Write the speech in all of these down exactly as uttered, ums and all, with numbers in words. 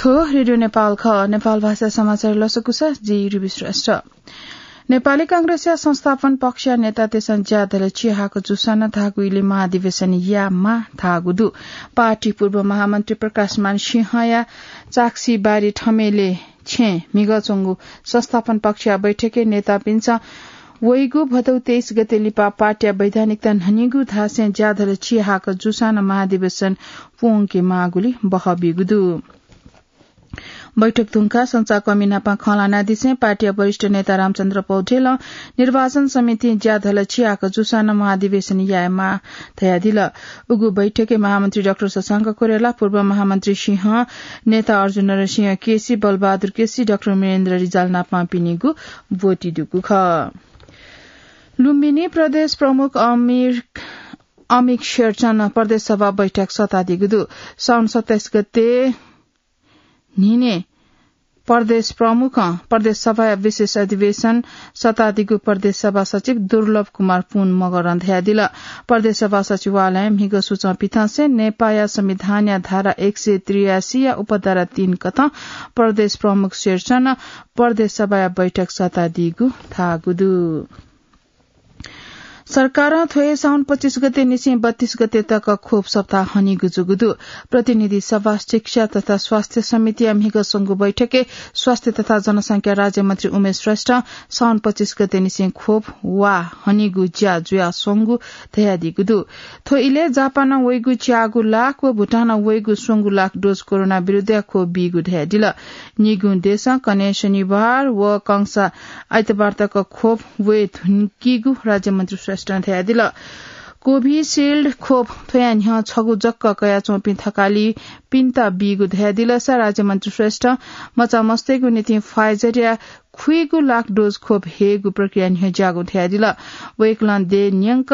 थ्व रेडियो नेपाल खः। नेपाल भाषा समाचार लसकुस, जि रुबी श्रेष्ठ। नेपाली कांग्रेसया संस्थापन पक्षया नेतातय्सं ज्या धल चिहाक जूसां नं धाःगु इलय् महाधिवेशन यायेमाः धाःगु दु। पार्टी पूर्व महामन्त्री प्रकाशमान सिंहया चाक्सीबारी थमेले छेँ म्हिगः च्वंगु संस्थापन पक्षया बैठकय् नेतापिन्सं वइगु भदौ तेइस गते लिपा पार्टीया वैधानिकता न्हनीगु धासें ज्या धल चिहाक जूसां नं महाधिवेशन प्वंकेमाःगुलिं बहः बीगु दु। बैठक धुंकाः संचारकर्मी नाप खँ ल्हानादिसें पार्टीया वरिष्ठ नेता रामचन्द्र पौडेलं निर्वाचन समितिं ज्या धल चिहाक जूसां नं महाधिवेशन यायेमाः धयादिल। उगु बैठकय् महामन्त्री डाक्टर शशांक कोइराला, पूर्व महामन्त्री सिंह, नेता अर्जुन नरसिंह केसी, बलबहादुर केसी, डाक्टर वीरेन्द्र रिजाल नापं पिनिगु ब्वति दुगु खः। लुम्बिनी प्रदेश प्रमुख अमिर, अमिक शेरचन प्रदेश सभा बैठक सतादीगु दु। साउन सत्ताइस गते न्हिने प्रदेश प्रमुखं प्रदेश सभाया विशेष अधिवेशन सतादीगु प्रदेश सभा सचिव दुर्लभ कुमार पुन मगरं धयादिल। प्रदेश सभा सचिवालयं म्हिगः सूचं पिथंसें नेपाःया संविधानया धारा एक सय त्रियासी या उपधारा तीन कथं प्रदेश प्रमुख शेरचनं प्रदेश सभाया बैठक सतादीगु धाःगु दु। सरकारं थ्व हे साउन पच्चिस गते निसें बत्तीस गते तक खोप सप्ताह हनीगु जूगु दु। प्रतिनिधि सभा, शिक्षा तथा स्वास्थ्य समितिया म्हिगः स्वंगु बैठकय् स्वास्थ्य तथा जनसंख्या राज्यमन्त्री उमेश श्रेष्ठं साउन पच्चिस गते निसें खोप वा हनीगु ज्या जुयाच्वंगु धयादीगु दु। थ्व इलय् जापानं वइगु च्यागू लाख व भुटानं वइगु स्वंगू लाख डोज कोरोना विरुद्धया खोप बीगु धयादिल। निगू देशं कन्हय् शनिबार व कंसा आइतबार तक खोप वये धुंकीगु राज्यमन्त्री श्रेष्ठं धयादिल। कोभिसिल्ड खोप थ्वया न्ह्यः छगू जक कयाच्वंपिं थकालिपिन्त बीगु धयादिलसा राज्यमन्त्री श्रेष्ठं मचामस्तय्गु निंतिं Pfizer-या खुइगू लाख डोज खोप हयेगु प्रक्रिया न्ह्यज्याःगु धयादिल। वय्कलं देय् न्यंक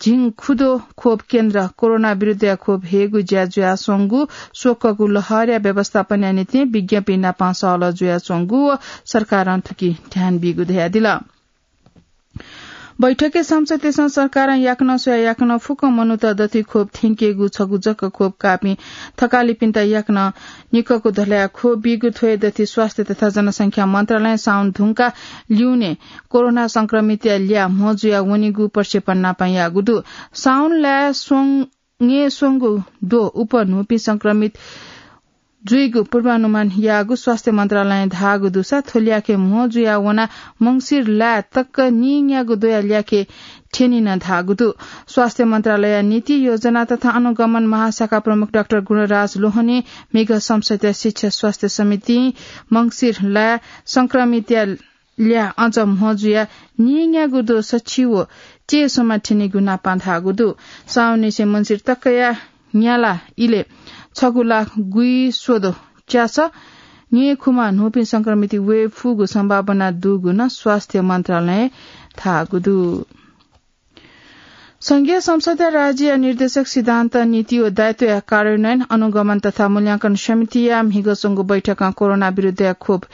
झिंखुदँ खोप केन्द्र कोरोना विरुद्धया खोप हयेगु ज्या जुयाच्वंगु, स्वकःगु लहरया व्यवस्थापनया निंतिं विज्ञपिं नाप सहलह जुयाच्वंगु व सरकारं थुकी ध्यान बीगु धयादिल। बैठकय् सांसदतय्सं सरकारं याकनं स्वयाः याकनं फुक्क मनूत दथुइ खोप थ्यंकेगु, छगू जक खोप काःपिं थकालिपिन्त याकनं निक्कःगु धलया खोप बीगु, थ्व हे दथुइ स्वास्थ्य तथा जनसंख्या मन्त्रालयं साउन धुंकाः लिउने कोरोना संक्रमितया ल्याः म्हो जुया वनीगु प्रक्षेपण नाप याःगु दु। साउन लाय् स्वंगु न्हय् स्वंगु द्वः उप न्हूपिं संक्रमित जुइगु पूर्वानुमान याःगु स्वास्थ्य मन्त्रालयं धाःगु दुसा थ्व ल्याखय् म्हो जुया वनाः मंसिर लाय् तक नीन्यागू द्वःया ल्याखय् थ्यनी नं धाःगु दु। स्वास्थ्य मन्त्रालयया नीति योजना तथा अनुगमन महाशाखा प्रमुख डाक्टर गुणराज लोहनीं म्हिगः संसदया शिक्षा स्वास्थ्य समितिं मंसिर लाय् संक्रमितया ल्याः अझ म्हो जुयाः नीन्यागू द्वः सछि व चय्स्वम्ह थ्यनीगु नाप धाःगु दु। साउननिसें मंसिर तकया न्याला इलय् छगू लाख गुइस्वद्वः च्यासः न्हय्खुम्ह न्हूपिं संक्रमित वये फुगु सम्भावना दुगु नं स्वास्थ्य मन्त्रालयं धाःगु दु। संघीय संसदया राज्यया निर्देशक सिद्धान्त, नीति व दायित्वया कार्यान्वयन, अनुगमन तथा मूल्यांकन समितिया म्हिगः च्वंगु बैठकं कोरोना विरुद्धया खोप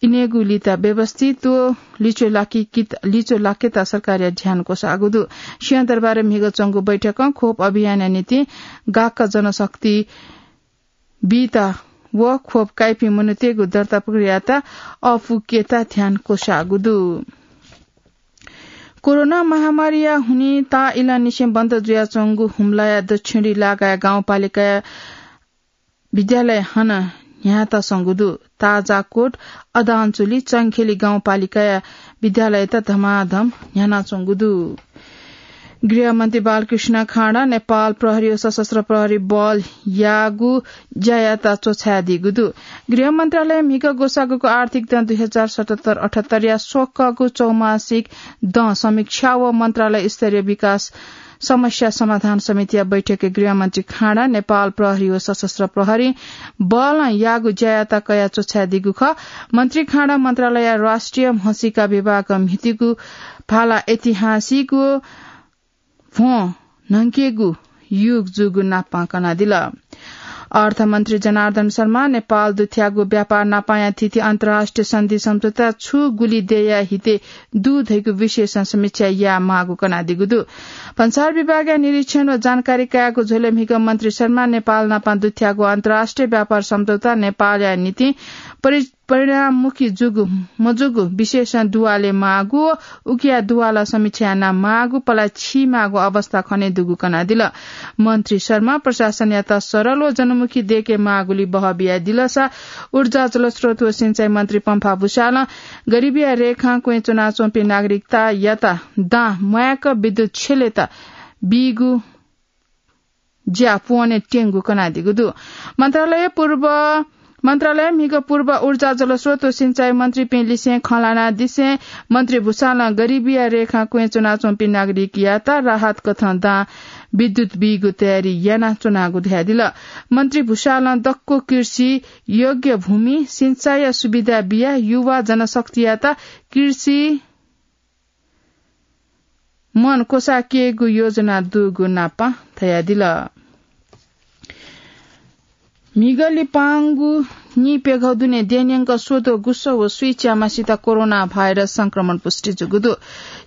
इनेगु लित व्यवस्थित व लिच्वः लाकेत, लिच्वः लाकेत सरकारया ध्यान क्वसाःगु दु। सिंहदरबारय् म्हिगः च्वंगु बैठकं खोप अभियानया निंतिं गाक्क जनशक्ति बीत व खोप काइपिं मनूतय्गु दर्ता प्रक्रियात अःपुकेत ध्यान क्वसाःगु दु। कोरोना महामारीया हुनिं ताःइलंनिसें बन्द जुयाच्वंगु हुम्लाया दक्षिणी लागाया गाउँपालिकाया विद्यालय हानं न्ह्यानातःगु दु। ताजाकोट, अदानचुली, चंखेली गाउँपालिकाया विद्यालयत धमाधम न्ह्यानाच्वंगु दु। गृहमन्त्री बालकृष्ण खाँडा नेपाल प्रहरी व सशस्त्र प्रहरी बलयागु ज्यायात च्वछायादीगु दु। गृह मन्त्रालयं म्हिगः ग्वसाःगुगु आर्थिक दँ दुई हजार सतहत्तर अठहत्तरया स्वकःगु चौमासिक दँ समीक्षा व मन्त्रालय स्तरीय विकास समस्या समाधान समितिया बैठकय् गृहमन्त्री खाँडा नेपाल प्रहरी व सशस्त्र प्रहरी बलं याःगु ज्यायात कयाः च्वछायादीगु खः। मन्त्री खाँडा मन्त्रालयया राष्ट्रिय म्हसीका विभागं म्हितीगु भाला ऐतिहासिक व भ्वं न्हंकेगु युग जूगु नापं कनादिल। अर्थमन्त्री जनार्दन शर्मा नेपाल दुथ्याःगु व्यापार नापाया थीथी अन्तर्राष्ट्रिय सन्धि सम्झौता छु गुलि देय्‌या हिते दु धइगु विषयसं समीक्षा यायेमाःगु कनादीगु दु। भन्सार विभागया निरीक्षण व जानकारी कायेगु झ्वलय् म्हिगः मन्त्री शर्मा नेपाल नापं दुथ्याःगु अन्तर्राष्ट्रिय व्यापार सम्झौता नेपालया निंतिं परि-, परिणाममुखी जूगु मजूगु विषयसं दुवाले माःगु व उकिया दुवालं समीक्षा यानामाःगु पला छीमाःगु अवस्था खनेदुगु कनादिल। मन्त्री शर्मा प्रशासनयात सरल व जनमुखी देके माःगुली बहः बियादिलसा ऊर्जा, जलस्रोत व सिंचाई मन्त्री पम्फा भुसालं गरिबीया रेखां क्वँय् च्वनाच्वंपिं नागरिकतायात दां म्वायेक विद्युत छ्यलेत बीगु ज्या पूवने त्यंगु कनादीगु दु। मन्त्रालय पूर्व, मन्त्रालय म्हिगः पूर्व ऊर्जा, जलस्रोत व सिंचाई मन्त्रीपिं लिसें खँ ल्हानादिसें मन्त्री भुसालं गरिबीया रेखां क्वँय् च्वनाच्वंपिं नागरिकयात राहत कथं दां विद्युत बीगु तयारी यानाच्वनागु धयादिल। मन्त्री भुसालं दक्व कृषि योग्य भूमि सिंचाईया सुविधा बियाः युवा जनशक्तियात कृषि मन क्वसाकेगु योजना दुगु नापं धयादिल। म्हिगः लिपांगु नीप्यघौ दुने देय्‌न्यंक स्वद्वः गुसः व स्वीच्याम्हसित कोरोना भाइरस संक्रमण पुष्टि जूगु दु।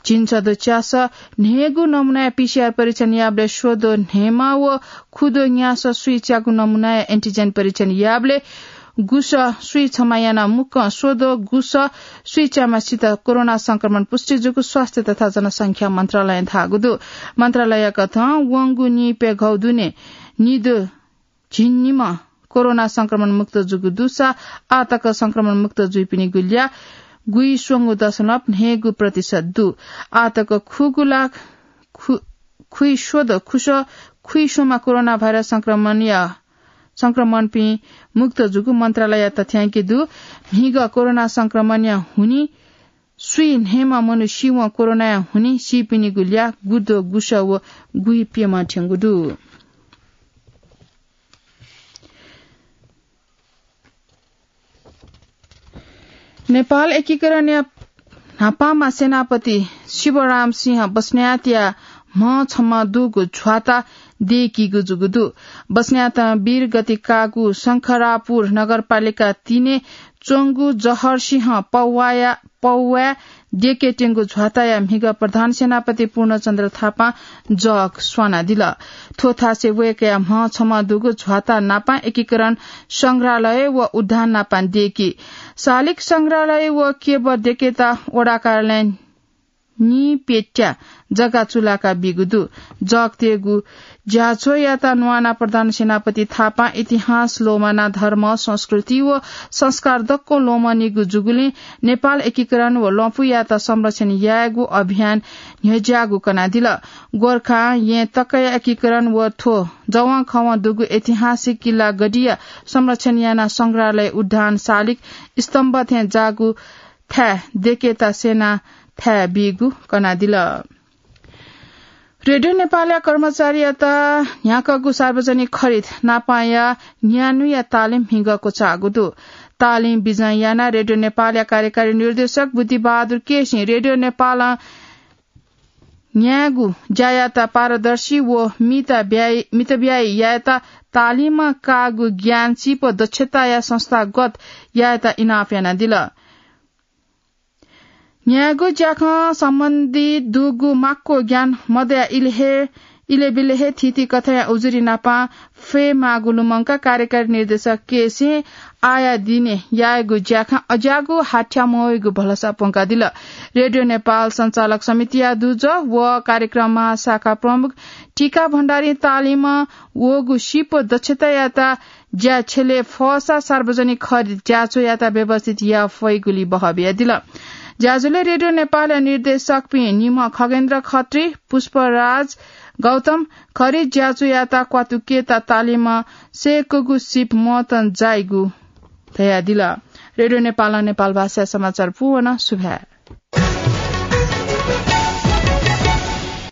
झिंछद्वः च्यासः न्हय्‌गू नमुनाया पीसीआर परीक्षण याःबलय् स्वद्वः न्हय्‌म्ह व खुद्वः न्यासः स्वीच्यागु नमुनाया एन्टिजेन परीक्षण याःबलय् गुसः स्वीछम्ह यानाः मुक्कं स्वद्वः गुसः स्वीच्याम्हसित कोरोना संक्रमण पुष्टि जूगु स्वास्थ्य तथा जनसंख्या मन्त्रालयं धाःगु दु। मन्त्रालयया कथं वंगु नीप्यघौ दुने निद्वः झिंनिम्ह कोरोना संक्रमण मुक्त जूगु दुसा आः तक संक्रमण मुक्त जुइपिनिगु ल्याः गुइस्वंगू दशमलव न्हय्‌गू प्रतिशत दु। आः तक खुगू लाख खु-, खुइस्वद्वः खुसः खुइस्वम्ह कोरोना भाइरस संक्रमणया संक्रमणपिं मुक्त जूगु मन्त्रालयया तथ्यांक दु। म्हिगः कोरोना संक्रमणया हुनिं स्वीन्हय्‌म्ह मनू सीवं कोरोनाया हुनिं सीपिनिगु ल्याः गुद्वः गुसः व गुइप्यम्ह थ्यंगु दु। नेपाल एकीकरणया न्हापांम्ह सेनापति शिवराम सिंह बस्नेतया म्ह छम्ह दुगु झ्वाता देकीगु जूगु दु। बस्नेतं वीरगति काःगु शंखरापुर नगरपालिका तीनय् च्वंगु जहरसिंह पौवाया, पौवाय् देकेत्यंगु झ्वाताया म्हिगः प्रधान सेनापति पूर्णचन्द्र थापां जग स्वानादिल। थ्व थासय् वय्‌कःया म्ह छम्ह दुगु झ्वाता नापं एकीकरण संग्रहालय व उद्यान नापं देकी। शालिक संग्रहालय व केबर देकेता वडा कार्यालयं नीप्यत्या जग्गा चुलाका बीगु दु। जगतेगु ज्याझ्वःयात न्वाना प्रधान सेनापति थापां इतिहास लोमाना धर्म, संस्कृति व संस्कार दक्व लोमनीगु जूगुलिं नेपाल एकीकरण व लँपुयात संरक्षण यायेगु अभियान न्ह्यज्याःगु कनादिल। गोर्खां येँ तकया एकीकरण व थ्व जवंखवं दुगु ऐतिहासिक किल्ला गढीया संरक्षण यानाः संग्रहालय, उद्यान, शालिक स्तम्भ थें जाःगु थाय् देकेता सेना थाय् बीगु कनादिल। रेडियो नेपालया कर्मचारीयात न्ह्याकागु सार्वजनिक खरिद नापांया न्यान्हुया तालिम म्हिगः क्वचाःगु दु। तालिम बिजं यानाः रेडियो नेपालया कार्यकारी निर्देशक बुद्धिबहादुर केसीं रेडियो नेपालं न्यायेगु ज्यायात पारदर्शी व मितब्ययी, मितब्ययी यायेत तालिमं काःगु ज्ञान, सिप, दक्षताया संस्थागत यायेत इनाप यानादिल। न्यायेगु ज्याखँ सम्बन्धी दुगु माक्व ज्ञान मदया इलहे, इलेबिलहे थीथी कथंया उजुरी नापं फयेमाःगु लुमंकाः कार्यकारी निर्देशक केसीं आःया दिने यायेगु ज्याखँ अज्याःगु हाथ्याः मवइगु भलसा प्वंकादिल। रेडियो नेपाल सञ्चालक समितिया दुजः व कार्यक्रम महाशाखा प्रमुख टीका भण्डारीं तालिमं वःगु सिप दक्षतायात ज्या छ्यले फःसा सार्वजनिक खरिद ज्याझ्वःयात व्यवस्थित याये फइगुली बहः बियादिल। ज्याझ्वलय् रेडियो नेपालया निर्देशकपिं निम्ह खगेन्द्र खत्री, पुष्पराज गौतम खरिद ज्याझ्वःयात क्वातुकेत तालिमं सय्‌कूगु सिप मतं जाइगु धयादिल। रेडियो नेपालं नेपाल भाषाया समाचार पूवन। सुभाय्।